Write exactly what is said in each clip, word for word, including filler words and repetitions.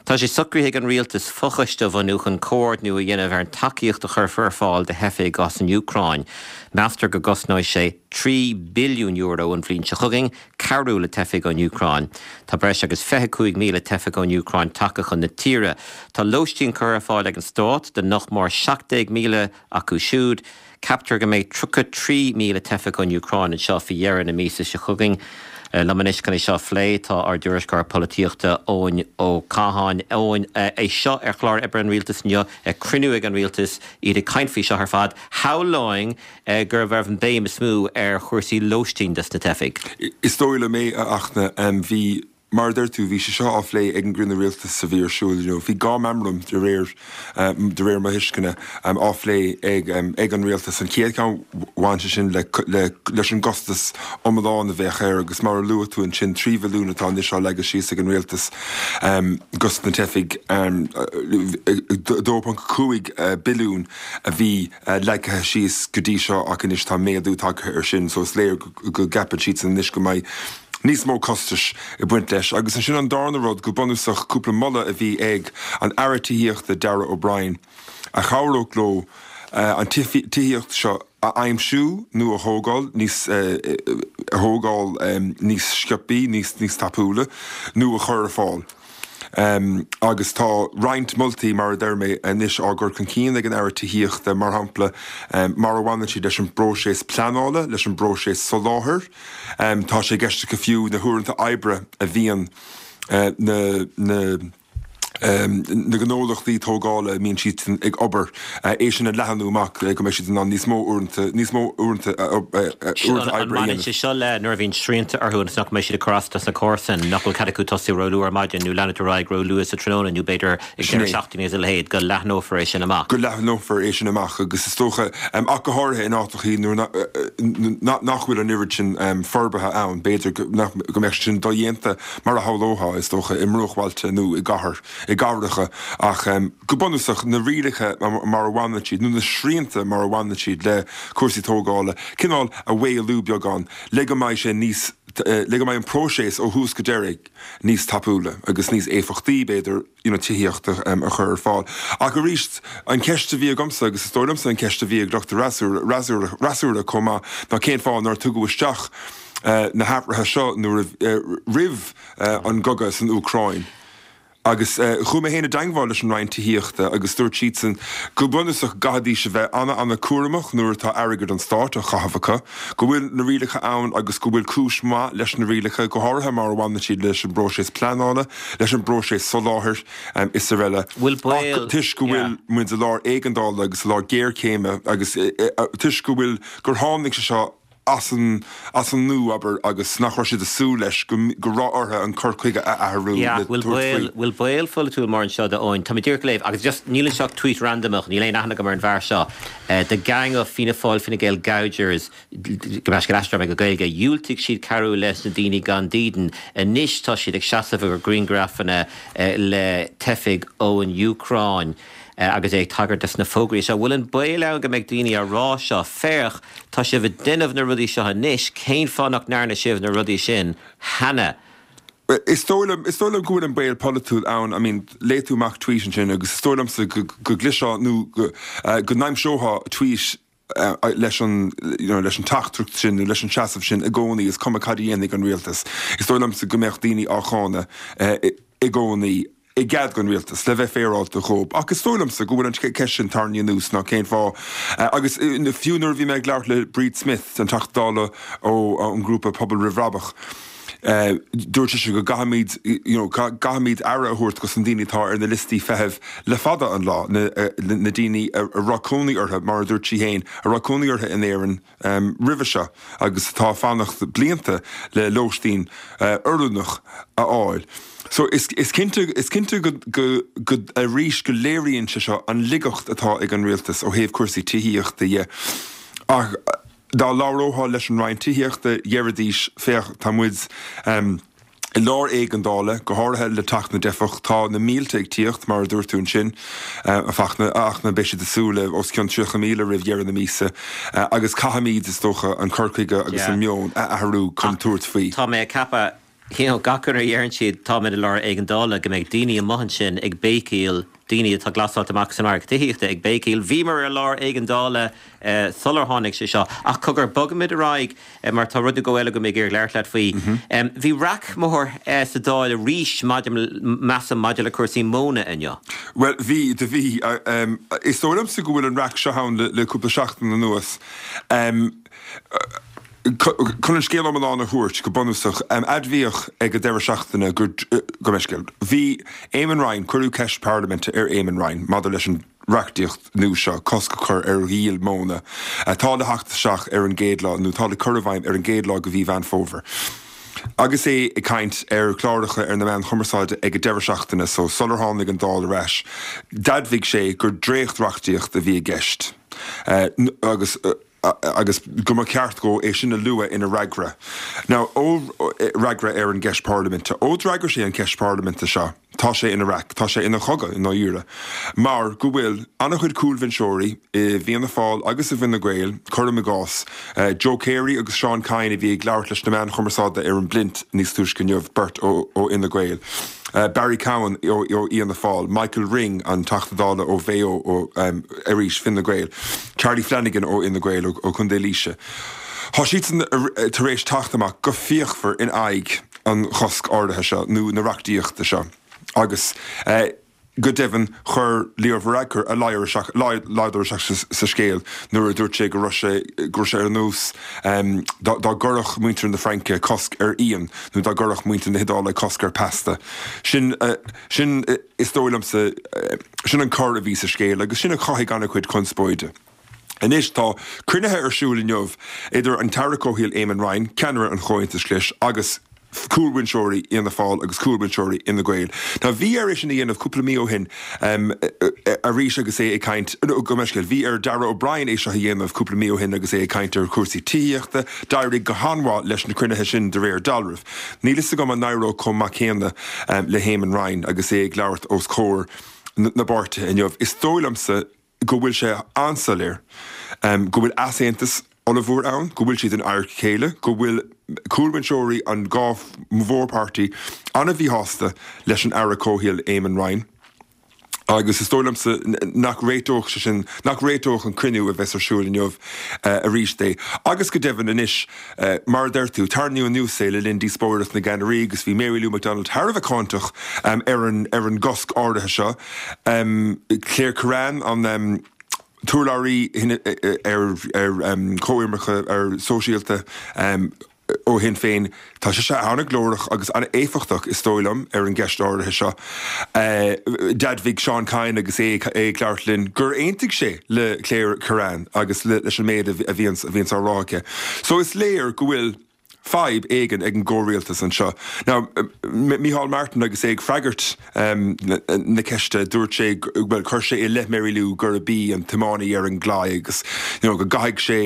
Tá sé socraithe ag an rialtas fochoiste a bhunú chun comhordú a dhéanamh ar an tacaíocht a chuirfear ar fáil do theifigh as an Úcráin. Meastar go gcosnóidh sé trí billiún euro an bhliain seo chugainn cabhrú le teifigh ón Úcráin. Tá breis agus fiche cúig míle teifeach ón Úcráin tagtha chun na tíre. Tá lóistín curtha ar fáil ag an stát do nach mór seacht déag míle acu siúd. Ceaptar go mbeidh tríocha trí míle teifeach ón Úcráin anseo faoi dheireadh na míosa seo chugainn. Liom anois chun é seo a phlé tá ár dtuairisceoir polaitíochta Eoin Ó Catháin. Eoin, é seo ar chlár oibre an rialtais inniu, cruinniú ag an rialtas, iad ag caint faoi seo ar fad. Shamhlóinn go raibh an béim is mó ar chúrsaí lóistín dos na teifigh. Is dóigh liom é, a Fhachtna, bhí Mar a deir tú, bhí sé seo á phlé ag an gcruinniú rialtais a bhí ar siúl inniu. Bhí dhá meamram de réir de réir mo thuisceana á phlé ag ag an rialtas. An chéad cheann bhain sé sin le le leis an gcostas iomlán a bheadh air agus mar a luaigh tú ansin trí bhilliún atá anois á leagadh síos ag an rialtas dos na teifigh dó ponc cúig billiún a bhí leagtha síos go dtí seo ach anois tá méadú tagtha air sin so is léir go gceapann siadsan anois go mbeidh níos mó costais ag baint leis. Agus ansin an darna rud go bunúsach cúpla moladh a bhí ag an Aire Tithíochta Darragh O'Brien a chabhródh leo an tithíocht seo a aimsiú nó a thógáil níos a thógáil níos sciobthaí, níos níos tapúla nó a chur ar fáil. Um, agus tá roinnt moltaí mar a deir mé anois á gcur chun cinn ag an Aire Tithíochta mar shampla um, mar a bhaineann siad leis an bpróiseas pleanála, leis an bpróiseas soláthair. Um, tá sé i gceist acu fiú na huaireanta oibre a bhíonn uh, na, na Um, na gnólachtaí tógála a mbíonn siad ag obair uh, é sin a leathnú amach go mbeidh siad in ann níos mó uaireanta níos mó uaireanta uaireanta oibre. Baineann sé seo le nuair a bhíonn srianta orthu agus nach mbeidh siad ag cur as dos na comharsain nach bhfuil cead acu tosú róluath ar maidin nó leanúint ar aghaidh róluath sa tráthnóna nó b'fhéidir ag deireadh seachtaine is a leithéid go leathnófar é sin amach. Go leathnófar é sin amach agus is dócha um, ach go háirithe in áiteachaí nuair nach bhfuil an oiread sin um, forbartha ann b'fhéidir go mbeadh sin dodhéanta mar a shamhlófá is dócha i mbruachbhailte nó i gcathair i gcathracha ach um, go bunúsach na rialacha mar a bhaineann siad nó na srianta mar a bhaineann siad le cúrsaí tógála cineál a mhaolú beagán le go mbeidh sé níos le go mbeidh an próiseas ó thús go deireadh níos tapúla agus níos éifeachtaí b'fhéidir you know, tithíocht um, a chur ar fáil. Ach arís an ceist a bhí agamsa agus is dóigh liomsa an ceist a bhí ag lucht fhreasúra chomh maith ná cén fáth nár tugadh isteach uh, na hathruithe seo nuair uh, roimh uh, an gcogadh san Úcráin. Agus chuaigh mé féin i dteagmháil leis an Roinn Tithíochta agus dúirt siadsan go bunúsach go gcaithfidís a bheith an-an-chúramach nuair atá airgead an stáit á chaitheamh acu, go bhfuil na rialacha ann agus go bhfuil cúis mhaith leis na rialacha, go háirithe mar a bhaineann siad leis an bpróiseas pleanála, leis an bpróiseas soláthair is araile. Bhfuil baol. Ach toisc go bhfuil muid i lár éigeandála agus i lár géarchéime agus toisc go bhfuil gur tháinig sé seo as an as an nua abair agus nach raibh siad ag súil leis go go raibh orthu an cur chuige a athrú le tabhairt faoi. Bhfuil baol pholaitiúil mar anseo do Eoin? Tá mé díreach ag léamh agus just níl anseo ach tweet randamach, níl aon aithne agam ar an bhfear seo. The gang of Fianna Fáil Fine Gael gougers go mbeidh scéal aisteach go Gaeilge, dhiúltaigh siad cabhrú leis na daoine gan dídean. Anois tá siad ag seasamh ar ghrianghrafanna le teifigh ón Úcráin. Agus é ag tagairt dos na fógraí seo, bhfuil an baol ann go mbeidh daoine á rá seo, féach, tá sibh ag déanamh na rudaí seo anois, cén fáth nach ndearna sibh na rudaí sin cheana? Is dóigh liom, is dóigh liom go bhfuil an baol polaitiúil ann, I mean, léigh tú amach tweet ansin agus is dóigh liomsa go go gcloisfeá nó go go n-aimseofá tweet leis an you know, leis an teachtaireacht sin nó leis an seasamh sin i gcónaí, is cuma cad a dhéanfaidh an rialtas. Is dóigh liomsa go mbeadh daoine á cháineadh i gcónaí. i gcead don rialtas le bheith féaráilte dhóibh. Ach is dóigh liomsa go bhfuil an ceist sin tarraingthe anuas ná cén fáth. Agus fiú nuair a bhí mé ag labhairt le Bríd Smith, an Teachta Dála ó an ngrúpa Pobal Roimh Bhrabach, dúirt sise go gcaithfimid, you know, gcaithfimid aire a thabhairt dos na daoine atá ar na liostaí feithimh le fada an lá, na, na daoine a raibh cónaí orthu, mar a dúirt sí féin, a raibh cónaí orthu in Éirinn roimhe seo agus atá ag fanacht blianta le lóistín oiriúnach a fháil. So is is cinnte is cinnte go go go arís go léiríonn sé seo an laigeacht atá ag an rialtas ó thaobh cúrsaí tithíochta dhe. Ach dá labhrófá leis an Roinn Tithíochta dheiridís féach tá muid um, i lár éigeandála, go háirithe le teacht na dteifeach, tá na mílte ag tíocht, mar a dúirt tú ansin, a Fhachtna, ach na beidh siad ag súil le os cionn tríocha míle roimh dheireadh na míosa, agus caithfimid, is dócha, an cur chuige agus an meon a athrú chun tabhairt faoi. Tá mé ag ceapadh you know, gach uair a dheireann siad táimid i lár éigeandála go mbeidh daoine amuigh ansin ag béicíl, daoine atá glasáilte amach san margadh tithíochta ag béicíl. Bhíomar i lár éigeandála eh, sular tháinig sé seo. Ach cogar bogaimid ar aghaidh eh, mar tá rud nó dhó eile agam ag iarraidh labhairt leat faoi. Um, bhí raic mór eh, sa Dáil arís maidir measaim maidir le cúrsaí móna inniu. Well bhí de bhí uh, um, is dóigh liomsa go bhfuil an raic seo ann le, le cúpla seachtain anuas. Um, Chun an scéal iomlán a thabhairt go bunúsach um, admhaíodh ag an deireadh seachtaine gur go meiscéal. Bhí Eamon Ryan cuireadh ceist parlaiminte ar Eamon Ryan maidir leis an reachtaíocht nua seo cosc a chur ar dhíol móna atá le theacht isteach ar an gcéad lá nó tá le cur i bhfeidhm ar an gcéad lá de mhí Mheán Fómhair. Agus é ag caint ar chláracha ar na meáin chumarsáide ag an deireadh seachtaine so sular tháinig an Dáil ar ais, d'admhaigh sé gur dréacht-reachtaíocht a bhí i gceist. Uh, agus uh, agus go mba cheart dó é sin a lua ina fhreagra. Now ó fhreagra ar an gceist parlaiminte, ó d'fhreagair sé an ceist parlaiminte seo, tá sé ina raic, tá sé ina chogadh i ndáiríre. Mar go bhfuil an-chuid cúlbhinseoirí i bhFianna Fáil agus i bhFine Gael cuirim i gcás, uh, Joe Carey agus Seán Kyne a bhí ag labhairt leis na meáin chumarsáide ar an bPlint níos túisce inniu beirt ó, ó Fhine Gael. Uh, Barry Cowen ó, ó Fhianna Fáil, Michael Ring an Teachta Dála ó Mhaigh Eo ó um, arís Fine Gael, Charlie Flanagan ó Fhine Gael ó, ó Chontae Laoise. Tá siad tar éis teacht amach go fíochmhar in aghaidh an chosc áirithe seo nó na reachtaíochta seo. Agus uh, go deimhin chuir Leo Varadkar a ladar sa scéal nuair a dúirt sé go raibh sé go raibh sé ar nós um, dá gcuirfeadh muintir na Fraince cosc ar fhíon nó dá gcuirfeadh muintir na hIodáile cosc ar pasta. Sin uh, sin uh, is dóigh liomsa uh, sin an cor a bhí sa scéal agus sin a chothaigh an-chuid conspóide. Anois tá cruinnithe ar siúl inniu idir an tAire Comhshaoil Eamon Ryan, ceannaire an Chomhaontais Ghlais agus cúlbhinseoirí Fhianna Fáil agus cúlbhinseoirí Fhine Gael. Tá bhí air sin a dhéanamh cúpla mí ó shin um, arís agus é ag caint go meiscéil. Bhí ar Darragh O'Brien é seo a dhéanamh cúpla mí ó shin agus é ag caint ar chúrsaí tithíochta, d'éirigh go han-mhaith leis na cruinnithe sin de réir dealraimh. Níl fhios agam an n-éireoidh chomh maith céanna um, le hEamon Ryan agus é ag labhairt os comhair na bpáirtithe inniu. Is dóigh liomsa go bhfuil sé an-soiléir um, go bhfuil easaontas ollmhór ann, go bhfuil siad in adharca a chéile, go bhfuil cúlbhinseoirí an dhá mhórpháirtí an-mhíshásta leis an Aire Comhshaoil Eamon Ryan. Agus is dóigh liomsa nach réiteodh sé sin nach réiteodh an cruinniú a bheas ar siúl inniu uh, arís é. Agus go deimhin anois uh, mar deir tú tarraingíodh anuas é le linn díospóireacht na gceannairí agus bhí Mary Lou McDonald thar a bheith cáinteach um, ar an ar an gcosc áirithe seo. Um, Claire Kerrane an um, t-urlabhraí ar ar um, comhimirce ar sóisialta um, ó Shinn Féin tá sé sé an-ghlórach agus an-éifeachtach is dóigh liom ar an gceist áirithe seo. Uh, D'admhaigh Seán Kyne agus é ag labhairt linn gur aontaigh sé le Claire Kerrane agus leis an méid a bhíonn a bhíonn á rá aici. So is léir go bhfuil fadhb éigin ag an gcomhrialtas anseo. Now Micheál Martin agus é ag freagairt um, na ceiste dúirt sé well chuir sé i leith Mary Lou gurb í an tiománaí ar an gclaí agus you know, go gcaithfidh sé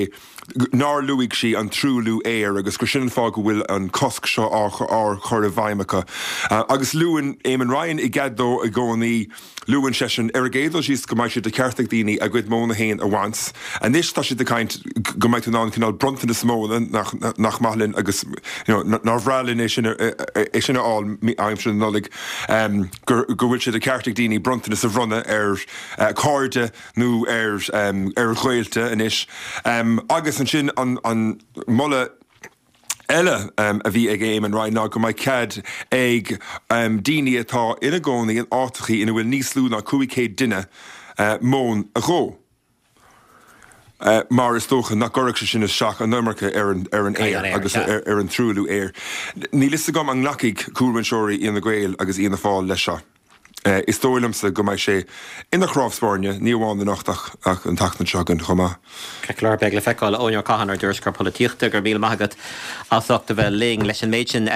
nár luaigh sí an truailliú aeir agus gur sin an fáth go bhfuil an cosc seo á chur i bhfeidhm acu. Uh, agus luann Eamon Ryan i gcead dó i gcónaí luann seisean ar an gcéad dul síos go mbeidh sé de cheart ag daoine a gcuid móna féin a bhaint. Anois tá siad ag caint go mbeidh tú in ann cineál bronntanas móna nach, nach maith linn agus you know, nár bhreá linn é sin é sin a fháil aimsir na Nollag um, go bhfuil sé de cheart ag daoine bronntanas a bhronnadh ar uh, cairde nó ar um, ar ghaolta anois. Um, agus ansin an, an moladh eile um, a bhí ag Eamon Ryan ná go mbeidh cead ag um, daoine atá ina gcónaí in áiteacha ina bhfuil níos lú ná cúig chéad duine uh, móin a dhó. Uh, mar is dócha nach gcuirfeadh sé sin isteach an iomarca ar an, ar an aer agus ar, ar an truailliú aeir. Níl fhios agam an nglacfaidh cúlbhinseoirí Fhine Gael agus Fhianna Fáil leis seo. Uh, is dóigh liomsa go mbeidh sé ina chnámh spairne ní amháin anocht ach ach an tseachtain seo chugainn chomh maith. Ceart beidh le feiceáil Eoin Ó Catháin ár dtuairisceoir polaitíochta go raibh míle maith agat as ucht a bheith linn leis an méid sin.